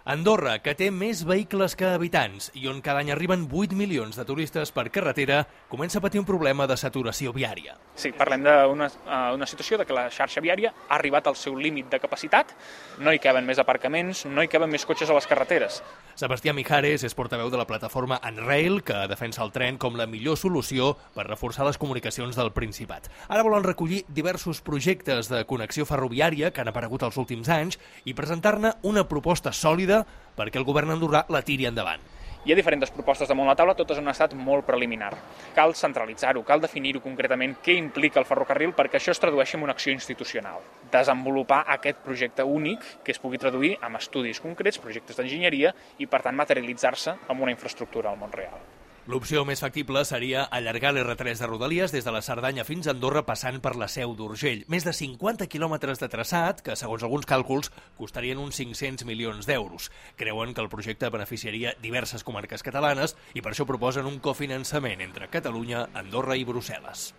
Andorra, que té més vehicles que habitants i on cada any arriben 8 milions de turistes per carretera, comença a patir un problema de saturació viària. Sí, parlem d'una situació de que la xarxa viària ha arribat al seu límit de capacitat, no hi caben més aparcaments, no hi caben més cotxes a les carreteres. Sebastià Mijares és portaveu de la plataforma Unrail, que defensa el tren com la millor solució per reforçar les comunicacions del Principat. Ara volen recollir diversos projectes de connexió ferroviària que han aparegut els últims anys i presentar-ne una proposta sòlida perquè el govern andorrà la tiri endavant. Hi ha diferents propostes damunt la taula, totes en un estat molt preliminar. Cal centralitzar-ho, cal definir-ho concretament què implica el ferrocarril perquè això es tradueixi en una acció institucional. Desenvolupar aquest projecte únic que es pugui traduir en estudis concrets, projectes d'enginyeria i, per tant, materialitzar-se en una infraestructura al món real. L'opció més factible seria allargar l'R3 de Rodalies des de la Cerdanya fins a Andorra passant per la Seu d'Urgell. Més de 50 quilòmetres de traçat que, segons alguns càlculs, costarien uns 500 milions d'euros. Creuen que el projecte beneficiaria diverses comarques catalanes i per això proposen un cofinançament entre Catalunya, Andorra i Brussel·les.